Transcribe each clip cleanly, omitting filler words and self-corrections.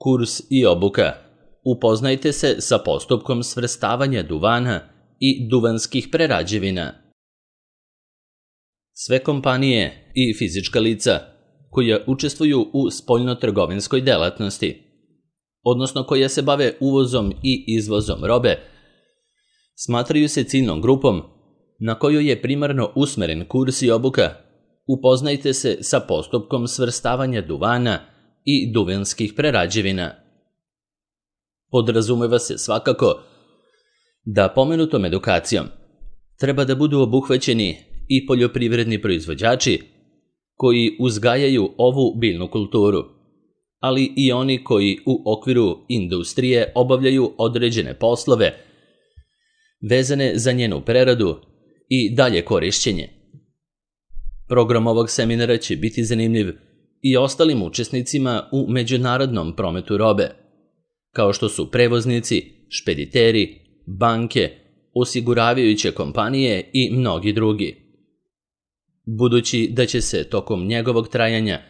Kurs i obuka. Upoznajte se sa postupkom svrstavanja duvana i duvanskih prerađevina. Sve kompanije i fizička lica koja učestvuju u spoljnotrgovinskoj delatnosti, odnosno koja se bave uvozom i izvozom robe, smatraju se ciljnom grupom na kojoj je primarno usmeren kurs i obuka. Upoznajte se sa postupkom svrstavanja duvana i duvanskih prerađevina. Podrazumeva se svakako da pomenutom edukacijom treba da budu obuhvaćeni i poljoprivredni proizvođači koji uzgajaju ovu biljnu kulturu, ali i oni koji u okviru industrije obavljaju određene poslove vezane za njenu preradu i dalje korišćenje. Program ovog seminara će biti zanimljiv i ostalim učesnicima u međunarodnom prometu robe, kao što su prevoznici, špediteri, banke, osiguravajuće kompanije i mnogi drugi. Budući da će se tokom njegovog trajanja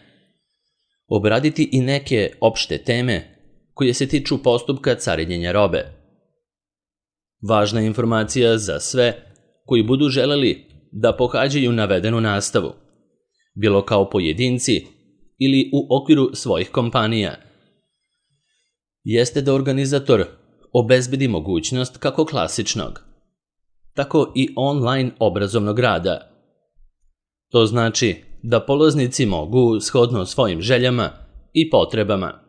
obraditi i neke opšte teme koje se tiču postupka carinjenja robe. Važna informacija za sve koji budu želeli da pohađaju navedenu nastavu, bilo kao pojedinci ili u okviru svojih kompanija, jeste da organizator obezbedi mogućnost kako klasičnog, tako i online obrazovnog rada. To znači da polaznici mogu, shodno svojim željama i potrebama,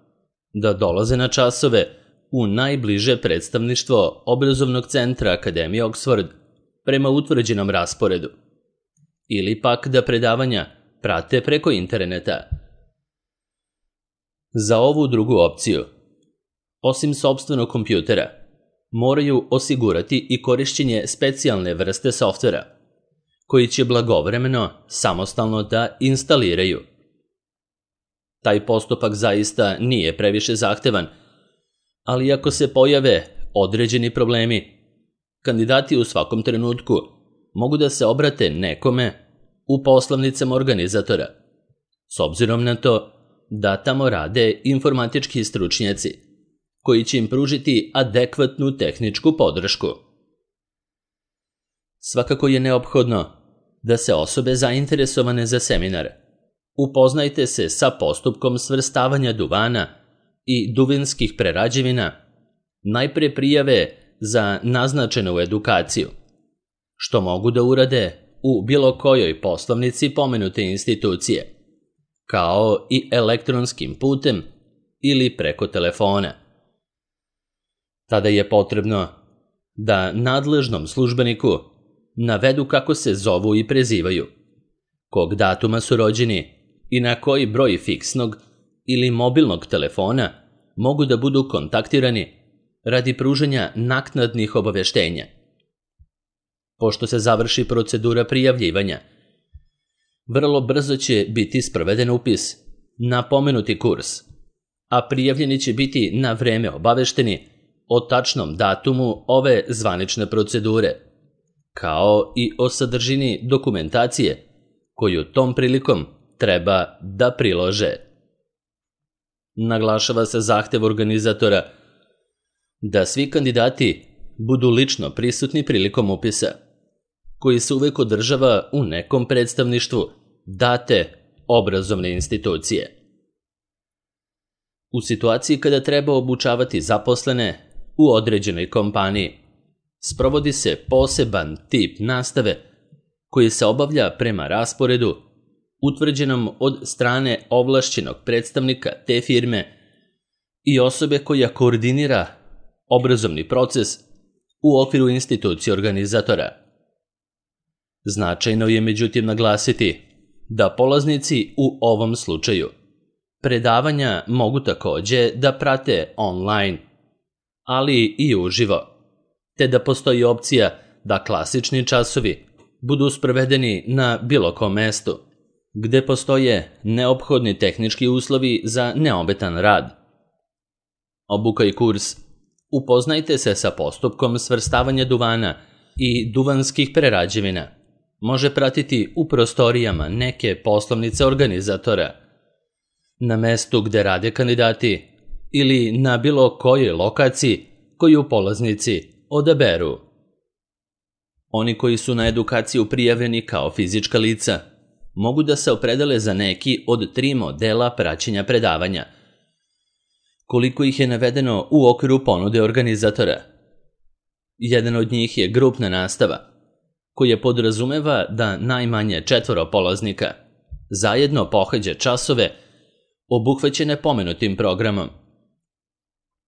da dolaze na časove u najbliže predstavništvo obrazovnog centra Akademije Oxford prema utvrđenom rasporedu, ili pak da predavanja prate preko interneta. Za ovu drugu opciju, osim sopstvenog kompjutera, moraju osigurati i korišćenje specijalne vrste softvera, koji će blagovremeno samostalno da instaliraju. Taj postupak zaista nije previše zahtevan, ali ako se pojave određeni problemi, kandidati u svakom trenutku mogu da se obrate nekome u poslovnicama organizatora, s obzirom na to da tamo rade informatički stručnjaci, koji će im pružiti adekvatnu tehničku podršku. Svakako je neophodno da se osobe zainteresovane za seminar upoznajte se sa postupkom svrstavanja duvana i duvanskih prerađevina, najpre prijave za naznačenu edukaciju, što mogu da urade u bilo kojoj poslovnici pomenute institucije, kao i elektronskim putem ili preko telefona. Tada je potrebno da nadležnom službeniku navedu kako se zovu i prezivaju, kog datuma su rođeni i na koji broj fiksnog ili mobilnog telefona mogu da budu kontaktirani radi pružanja naknadnih obaveštenja. Pošto se završi procedura prijavljivanja, vrlo brzo će biti sproveden upis na pomenuti kurs, a prijavljeni će biti na vreme obavešteni o tačnom datumu ove zvanične procedure, kao i o sadržini dokumentacije koju tom prilikom treba da prilože. Naglašava se zahtev organizatora da svi kandidati budu lično prisutni prilikom upisa, koji se uvek održava u nekom predstavništvu date obrazovne institucije. U situaciji kada treba obučavati zaposlene u određenoj kompaniji, sprovodi se poseban tip nastave koji se obavlja prema rasporedu utvrđenom od strane ovlašćenog predstavnika te firme i osobe koja koordinira obrazovni proces u okviru institucije organizatora. Značajno je međutim naglasiti da polaznici u ovom slučaju predavanja mogu takođe da prate online, ali i uživo, te da postoji opcija da klasični časovi budu sprovedeni na bilo kom mestu, gde postoje neophodni tehnički uslovi za neometan rad. Obuka i kurs. Upoznajte se sa postupkom svrstavanja duvana i duvanskih prerađevina. Može pratiti u prostorijama neke poslovnice organizatora, na mestu gde rade kandidati, ili na bilo kojoj lokaciji koju polaznici odaberu. Oni koji su na edukaciju prijavljeni kao fizička lica mogu da se opredele za neki od 3 modela praćenja predavanja. Koliko ih je navedeno u okviru ponude organizatora? Jedan od njih je grupna nastava, koja podrazumeva da najmanje 4 polaznika zajedno pohađa časove obuhvaćene pomenutim programom.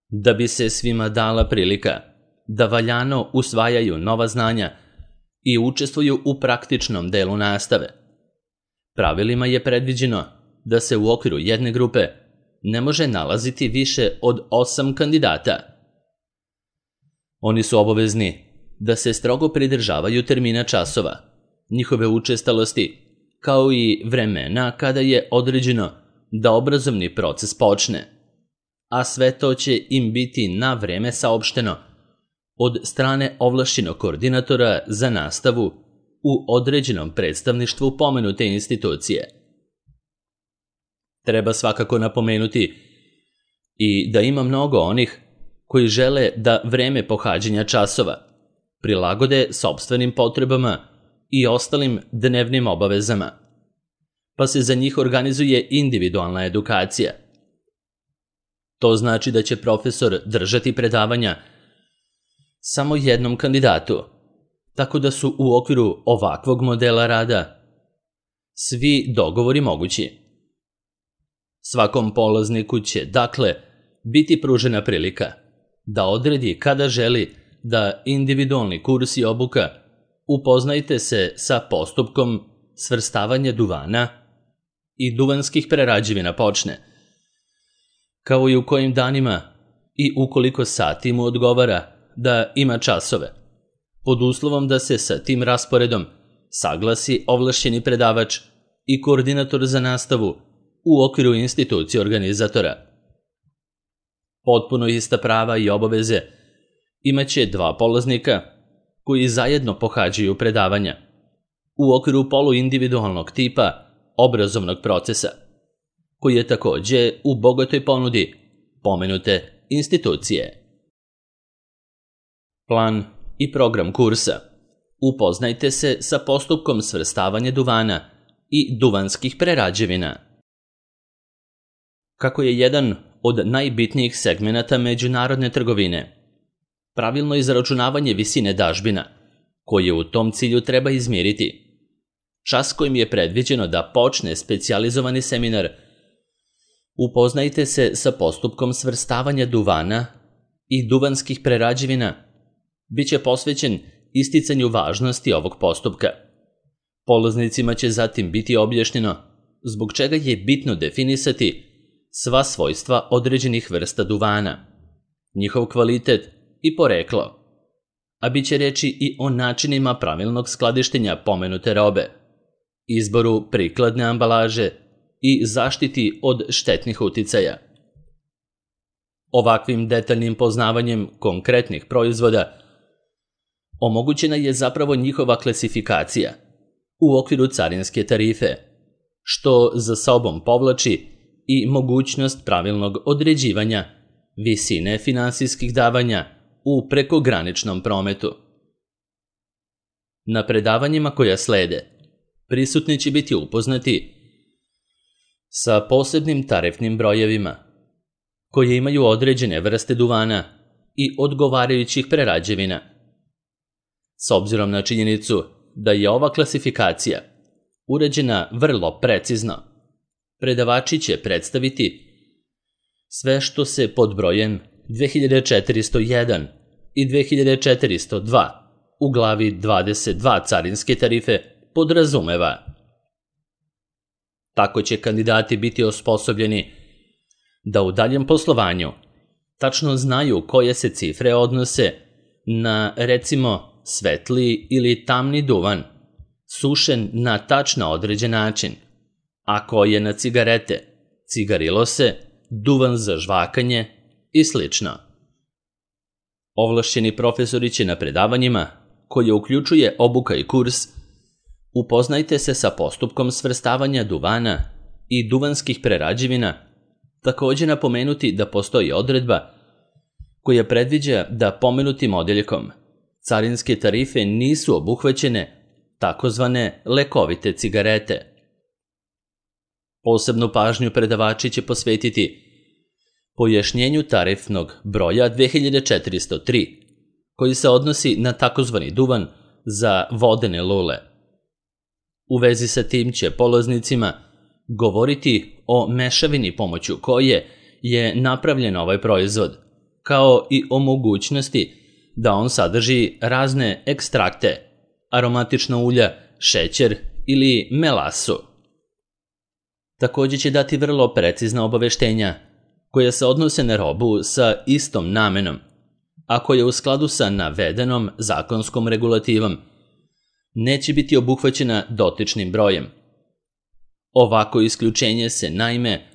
Da bi se svima dala prilika da valjano usvajaju nova znanja i učestvuju u praktičnom delu nastave, pravilima je predviđeno da se u okviru jedne grupe ne može nalaziti više od 8 kandidata. Oni su obavezni da se strogo pridržavaju termina časova, njihove učestalosti, kao i vremena kada je određeno da obrazovni proces počne, a sve to će im biti na vreme saopšteno od strane ovlašćenog koordinatora za nastavu u određenom predstavništvu pomenute institucije. Treba svakako napomenuti i da ima mnogo onih koji žele da vreme pohađanja časova prilagode sopstvenim potrebama i ostalim dnevnim obavezama, pa se za njih organizuje individualna edukacija. To znači da će profesor držati predavanja samo jednom kandidatu, tako da su u okviru ovakvog modela rada svi dogovori mogući. Svakom polazniku će, dakle, biti pružena prilika da odredi kada želi da individualni kurs i obuka upoznajte se sa postupkom svrstavanja duvana i duvanskih prerađevina počne, kao i u kojim danima i u koliko sati mu odgovara da ima časove, pod uslovom da se sa tim rasporedom saglasi ovlašćeni predavač i koordinator za nastavu u okviru institucije organizatora. Potpuno ista prava i obaveze imaće 2 polaznika koji zajedno pohađaju predavanja u okviru poluindividualnog tipa obrazovnog procesa, koji je takođe u bogatoj ponudi pomenute institucije. Plan i program kursa. Upoznajte se sa postupkom svrstavanja duvana i duvanskih prerađevina. Kako je jedan od najbitnijih segmenata međunarodne trgovine pravilno izračunavanje visine dažbina, koje u tom cilju treba izmiriti, čas kojim je predviđeno da počne specijalizovani seminar, upoznajte se sa postupkom svrstavanja duvana i duvanskih prerađevina, biće posvećen isticanju važnosti ovog postupka. Polaznicima će zatim biti objašnjeno zbog čega je bitno definisati sva svojstva određenih vrsta duvana, njihov kvalitet i poreklo, a bit će reči i o načinima pravilnog skladištenja pomenute robe, izboru prikladne ambalaže i zaštiti od štetnih uticaja. Ovakvim detaljnim poznavanjem konkretnih proizvoda omogućena je zapravo njihova klasifikacija u okviru carinske tarife, što za sobom povlači i mogućnost pravilnog određivanja visine finansijskih davanja u prekograničnom prometu. Na predavanjima koja slede, prisutni će biti upoznati sa posebnim tarifnim brojevima, koje imaju određene vrste duvana i odgovarajućih prerađevina. S obzirom na činjenicu da je ova klasifikacija urađena vrlo precizno, predavači će predstaviti sve što se pod brojem 2401 i 2402 u glavi 22 carinske tarife podrazumeva. Tako će kandidati biti osposobljeni da u daljem poslovanju tačno znaju koje se cifre odnose na, recimo, svetli ili tamni duvan, sušen na tačno određen način, a koje na cigarete, cigarilose, duvan za žvakanje i slično. Ovlašćeni profesori će na predavanjima, koje uključuje obuka i kurs, upoznajte se sa postupkom svrstavanja duvana i duvanskih prerađevina također napomenuti da postoji odredba koja predviđa da pomenutim odjeljkom carinske tarife nisu obuhvaćene takozvane lekovite cigarete. Posebnu pažnju predavači će posvetiti pojašnjenju tarifnog broja 2403, koji se odnosi na takozvani duvan za vodene lule. U vezi sa tim će polaznicima govoriti o mešavini pomoću koje je napravljen ovaj proizvod, kao i o mogućnosti da on sadrži razne ekstrakte, aromatična ulja, šećer ili melasu. Također će dati vrlo precizna obaveštenja koja se odnose na robu sa istom namenom, a koja u skladu sa navedenom zakonskom regulativom neće biti obuhvaćena dotičnim brojem. Ovako isključenje se naime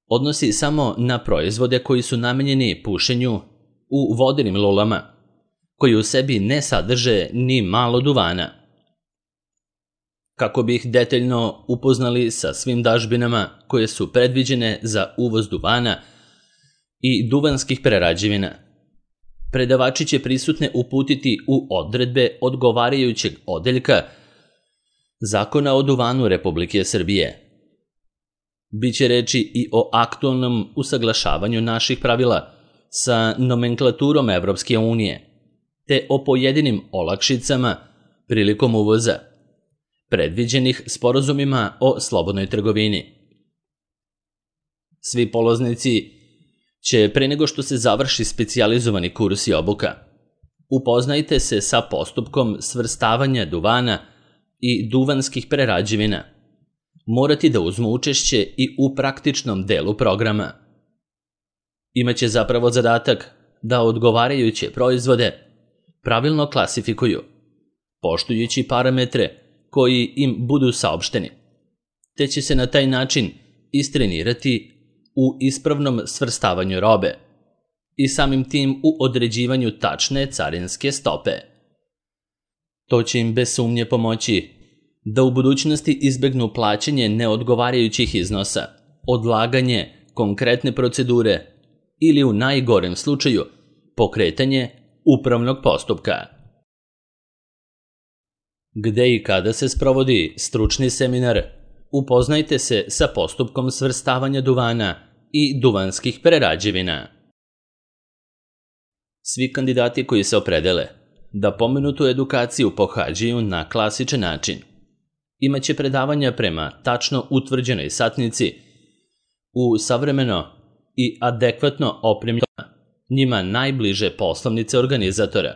odnosi samo na proizvode koji su namenjeni pušenju u vodenim lulama, koji u sebi ne sadrže ni malo duvana. Kako bi ih detaljno upoznali sa svim dažbinama koje su predviđene za uvoz duvana i duvanskih prerađevina, predavači će prisutne uputiti u odredbe odgovarajućeg odeljka Zakona o duvanu Republike Srbije. Biće reči i o aktualnom usaglašavanju naših pravila sa nomenklaturom Evropske unije, te o pojedinim olakšicama prilikom uvoza, predviđenih sporazumima o slobodnoj trgovini. Svi polaznici će, pre nego što se završi specijalizovani kurs i obuka, upoznajte se sa postupkom svrstavanja duvana i duvanskih prerađevina, morati da uzmu učešće i u praktičnom delu programa. Imaće zapravo zadatak da odgovarajuće proizvode pravilno klasifikuju, poštujući parametre koji im budu saopšteni, te će se na taj način istrenirati u ispravnom svrstavanju robe i samim tim u određivanju tačne carinske stope. To će im bez sumnje pomoći da u budućnosti izbegnu plaćanje neodgovarajućih iznosa, odlaganje konkretne procedure ili u najgorem slučaju pokretanje upravnog postupka. Gde i kada se sprovodi stručni seminar, upoznajte se sa postupkom svrstavanja duvana i duvanskih prerađevina. Svi kandidati koji se opredele da pomenutu edukaciju pohađaju na klasičan način imaće predavanja prema tačno utvrđenoj satnici u savremeno i adekvatno opremljeno njima najbliže poslovnice organizatora.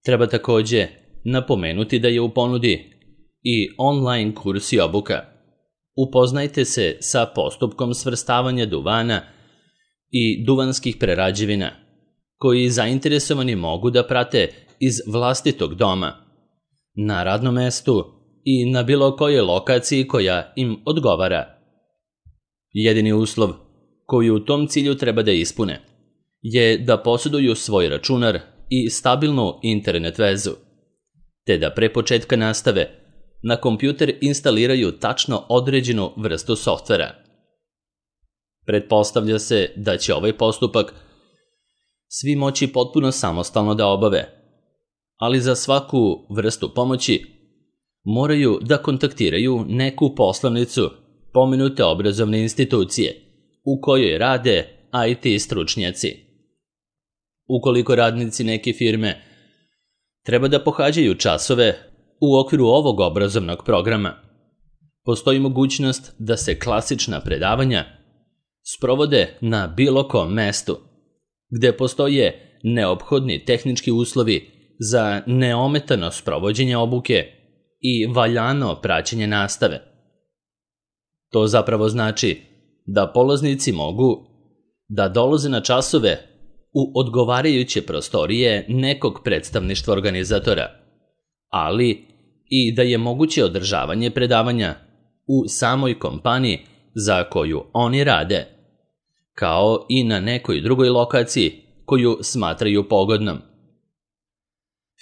Treba također napomenuti da je u ponudi i online kurs i obuka. Upoznajte se sa postupkom svrstavanja duvana i duvanskih prerađevina, koji zainteresovani mogu da prate iz vlastitog doma, na radnom mestu i na bilo kojoj lokaciji koja im odgovara. Jedini uslov koji u tom cilju treba da ispune je da posjeduju svoj računar i stabilnu internet vezu, te da pre početka nastave na kompjuter instaliraju tačno određenu vrstu softvera. Pretpostavlja se da će ovaj postupak svi moći potpuno samostalno da obave, ali za svaku vrstu pomoći moraju da kontaktiraju neku poslovnicu pomenute obrazovne institucije u kojoj rade IT stručnjaci. Ukoliko radnici neke firme treba da pohađaju časove u okviru ovog obrazovnog programa, postoji mogućnost da se klasična predavanja sprovode na bilo kom mestu, gde postoje neophodni tehnički uslovi za neometano sprovođenje obuke i valjano praćenje nastave. To zapravo znači da polaznici mogu da dolaze na časove u odgovarajuće prostorije nekog predstavništva organizatora, ali i da je moguće održavanje predavanja u samoj kompaniji za koju oni rade, kao i na nekoj drugoj lokaciji koju smatraju pogodnom.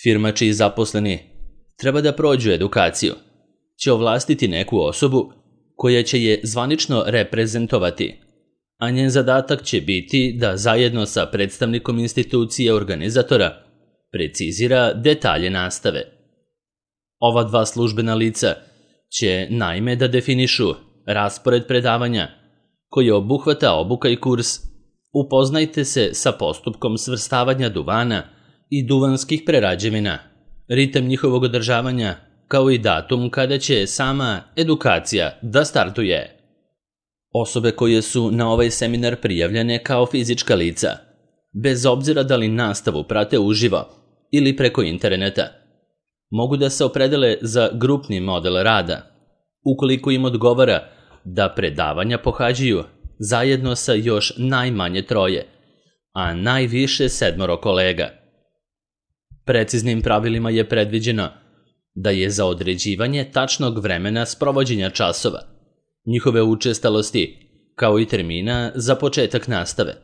Firma čiji zaposleni treba da prođu edukaciju će ovlastiti neku osobu koja će je zvanično reprezentovati a njen zadatak će biti da zajedno sa predstavnikom institucije organizatora precizira detalje nastave. Ova dva službena lica će naime da definišu raspored predavanja koji obuhvata obuka i kurs Upoznajte se sa postupkom svrstavanja duvana i duvanskih prerađevina, ritam njihovog održavanja, kao i datum kada će sama edukacija da startuje. Osobe koje su na ovaj seminar prijavljene kao fizička lica, bez obzira da li nastavu prate uživo ili preko interneta, mogu da se opredele za grupni model rada, ukoliko im odgovara da predavanja pohađaju zajedno sa još najmanje 3, a najviše 7 kolega. Preciznim pravilima je predviđeno da je za određivanje tačnog vremena sprovođenja časova, njihove učestalosti, kao i termina za početak nastave,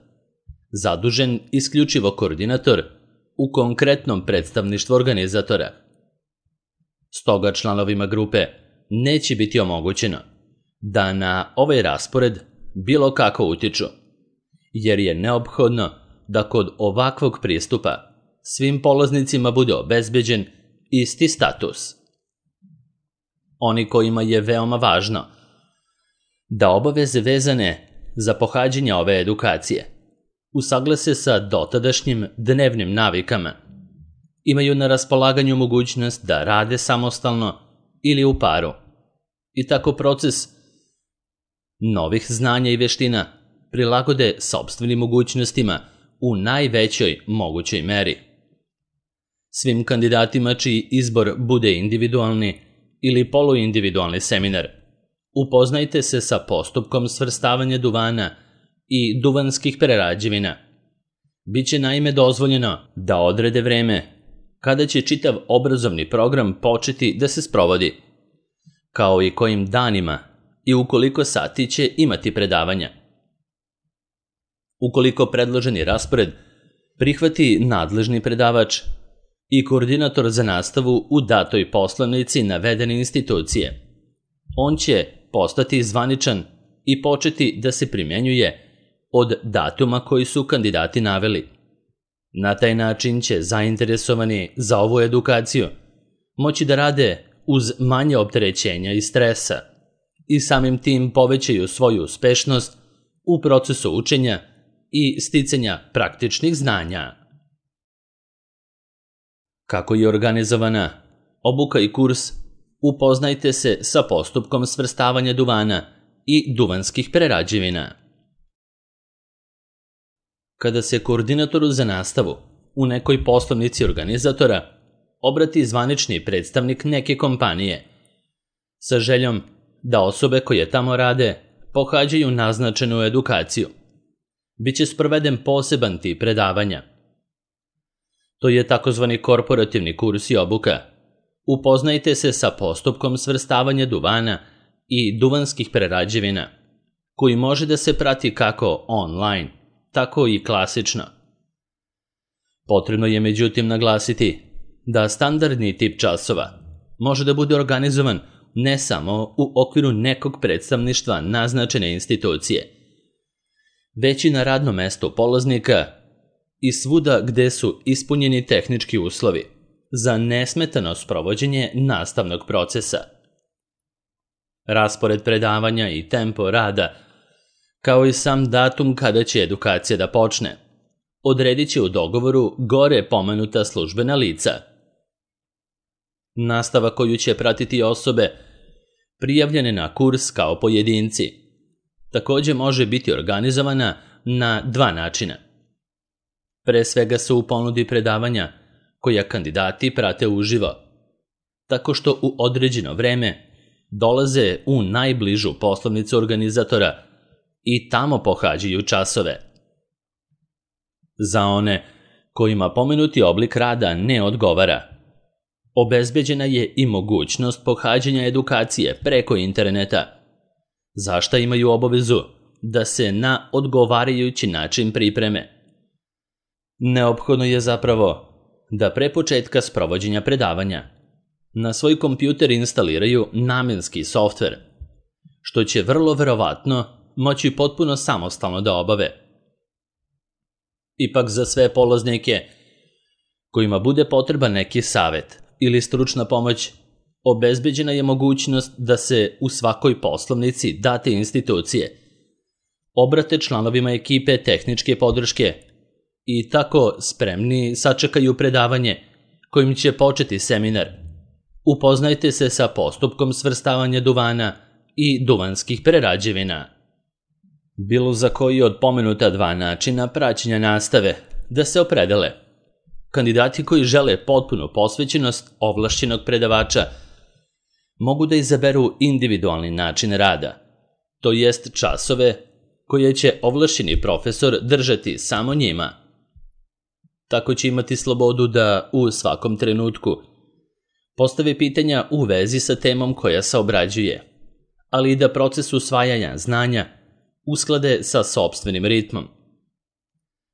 zadužen isključivo koordinator u konkretnom predstavništvu organizatora. Stoga članovima grupe neće biti omogućeno da na ovaj raspored bilo kako utiču, jer je neophodno da kod ovakvog pristupa svim polaznicima bude obezbeđen isti status. Oni kojima je veoma važno da obaveze vezane za pohađanje ove edukacije usaglase sa dotadašnjim dnevnim navikama, imaju na raspolaganju mogućnost da rade samostalno ili u paru i tako proces novih znanja i veština prilagode sopstvenim mogućnostima u najvećoj mogućoj meri. Svim kandidatima čiji izbor bude individualni ili poluindividualni seminar, upoznajte se sa postupkom svrstavanja duvana i duvanskih prerađevina. Biće naime dozvoljeno da odrede vreme kada će čitav obrazovni program početi da se sprovodi, kao i kojim danima i u koliko sati će imati predavanja. Ukoliko predloženi raspored prihvati nadležni predavač i koordinator za nastavu u datoj poslanici navedene institucije, on će postati zvaničan i početi da se primjenjuje od datuma koji su kandidati naveli. Na taj način će zainteresovani za ovu edukaciju moći da rade uz manje opterećenja i stresa i samim tim povećaju svoju uspešnost u procesu učenja i sticanja praktičnih znanja. Kako je organizovana obuka i kurs, upoznajte se sa postupkom svrstavanja duvana i duvanskih prerađevina. Kada se koordinatoru za nastavu u nekoj poslovnici organizatora obrati zvanični predstavnik neke kompanije sa željom da osobe koje tamo rade pohađaju naznačenu edukaciju, biće sproveden poseban tip predavanja. To je takozvani korporativni kurs i obuka. Upoznajte se sa postupkom svrstavanja duvana i duvanskih prerađevina, koji može da se prati kako online, tako i klasično. Potrebno je međutim naglasiti da standardni tip časova može da bude organizovan ne samo u okviru nekog predstavništva naznačene institucije, već i na radnom mestu polaznika i svuda gde su ispunjeni tehnički uslovi za nesmetano sprovođenje nastavnog procesa. Raspored predavanja i tempo rada, kao i sam datum kada će edukacija da počne, odredit će u dogovoru gore pomenuta službena lica. Nastava koju će pratiti osobe prijavljene na kurs kao pojedinci takođe može biti organizovana na 2 načina. Pre svega su u ponudi predavanja koja kandidati prate uživo, tako što u određeno vreme dolaze u najbližu poslovnicu organizatora i tamo pohađaju časove. Za one kojima pomenuti oblik rada ne odgovara, obezbeđena je i mogućnost pohađanja edukacije preko interneta, za šta imaju obavezu da se na odgovarajući način pripreme. Neophodno je zapravo da pre početka sprovođenja predavanja na svoj kompjuter instaliraju namenski softver, što će vrlo verovatno moći potpuno samostalno da obave. Ipak za sve polaznike kojima bude potreban neki savjet ili stručna pomoć, obezbeđena je mogućnost da se u svakoj poslovnici date institucije obrate članovima ekipe tehničke podrške i tako spremni sačekaju predavanje kojim će početi seminar. Upoznajte se sa postupkom svrstavanja duvana i duvanskih prerađevina. Bilo za koji od pomenuta dva načina praćenja nastave da se opredele. Kandidati koji žele potpunu posvećenost ovlašćenog predavača mogu da izaberu individualni način rada, to jest časove koje će ovlašćeni profesor držati samo njima. Tako će imati slobodu da u svakom trenutku postave pitanja u vezi sa temom koja se obrađuje, ali i da proces usvajanja znanja usklade sa sopstvenim ritmom.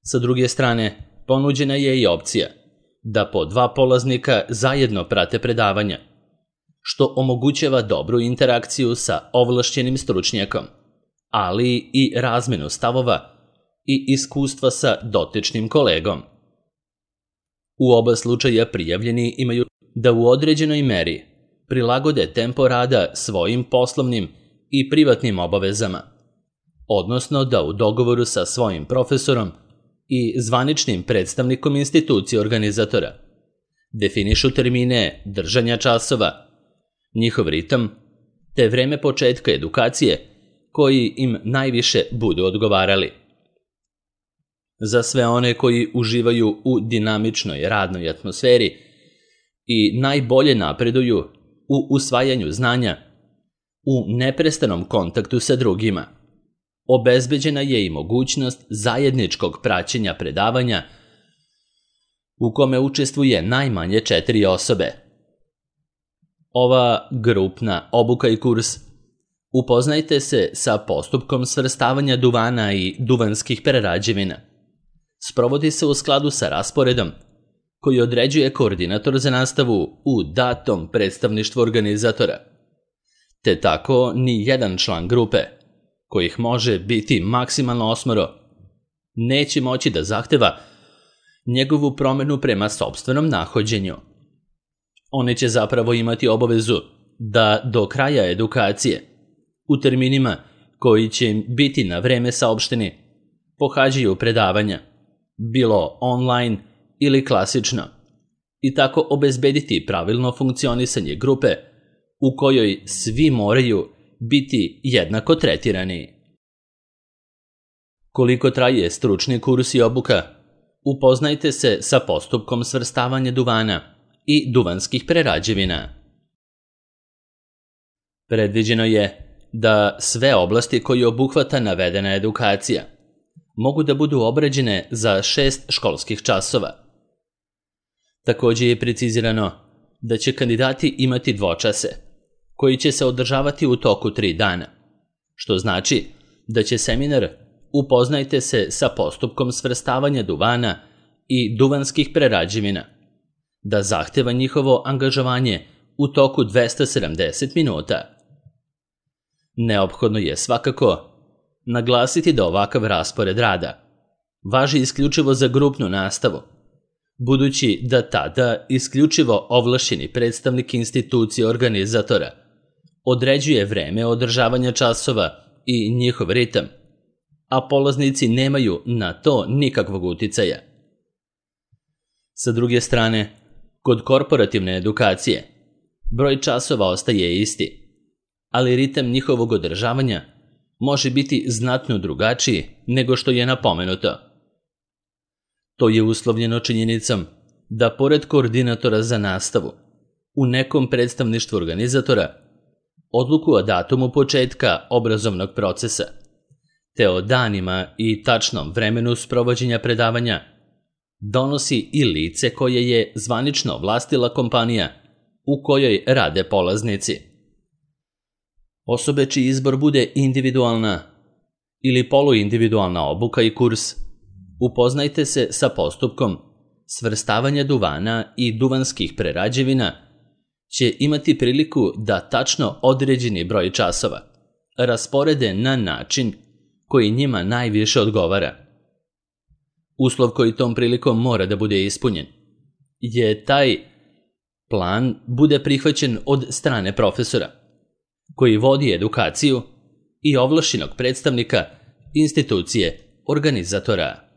Sa druge strane, ponuđena je i opcija da po dva polaznika zajedno prate predavanja, što omogućava dobru interakciju sa ovlašćenim stručnjakom, ali i razmenu stavova i iskustva sa dotičnim kolegom. U oba slučaja prijavljeni imaju da u određenoj meri prilagode tempo rada svojim poslovnim i privatnim obavezama, odnosno da u dogovoru sa svojim profesorom i zvaničnim predstavnikom institucije organizatora definišu termine držanja časova, njihov ritam, te vreme početka edukacije koji im najviše budu odgovarali. Za sve one koji uživaju u dinamičnoj radnoj atmosferi i najbolje napreduju u usvajanju znanja, u neprestanom kontaktu sa drugima, obezbeđena je i mogućnost zajedničkog praćenja predavanja u kome učestvuje najmanje 4 osobe. Ova grupna obuka i kurs upoznajte se sa postupkom svrstavanja duvana i duvanskih prerađevina. Sprovodi se u skladu sa rasporedom koji određuje koordinator za nastavu u datom predstavništvu organizatora, te tako ni jedan član grupe, kojih može biti maksimalno 8, neće moći da zahteva njegovu promenu prema sopstvenom nahođenju. Oni će zapravo imati obavezu da do kraja edukacije, u terminima koji će im biti na vreme saopšteni, pohađaju predavanja, bilo online ili klasično, i tako obezbediti pravilno funkcionisanje grupe u kojoj svi moraju biti jednako tretirani. Koliko traje stručni kurs i obuka, upoznajte se sa postupkom svrstavanja duvana i duvanskih prerađevina. Predviđeno je da sve oblasti koje obuhvata navedena edukacija mogu da budu obrađene za 6 školskih časova. Također je precizirano da će kandidati imati dvočase, koji će se održavati u toku 3 dana, što znači da će seminar upoznajte se sa postupkom svrstavanja duvana i duvanskih prerađevina, da zahteva njihovo angažovanje u toku 270 minuta. Neophodno je svakako naglasiti da ovakav raspored rada važi isključivo za grupnu nastavu, budući da tada isključivo ovlašćeni predstavnik institucije organizatora određuje vreme održavanja časova i njihov ritam, a polaznici nemaju na to nikakvog uticaja. Sa druge strane, kod korporativne edukacije broj časova ostaje isti, ali ritam njihovog održavanja može biti znatno drugačiji nego što je napomenuto. To je uslovljeno činjenicom da pored koordinatora za nastavu u nekom predstavništvu organizatora odluku o datumu početka obrazovnog procesa, te o danima i tačnom vremenu sprovođenja predavanja donosi i lice koje je zvanično vlastila kompanija u kojoj rade polaznici. Osobe čiji izbor bude individualna ili poluindividualna obuka i kurs, upoznajte se sa postupkom svrstavanja duvana i duvanskih prerađevina, će imati priliku da tačno određeni broj časova rasporede na način koji njima najviše odgovara. Uslov koji tom prilikom mora da bude ispunjen je taj plan bude prihvaćen od strane profesora, koji vodi edukaciju i ovlašćenog predstavnika institucije organizatora.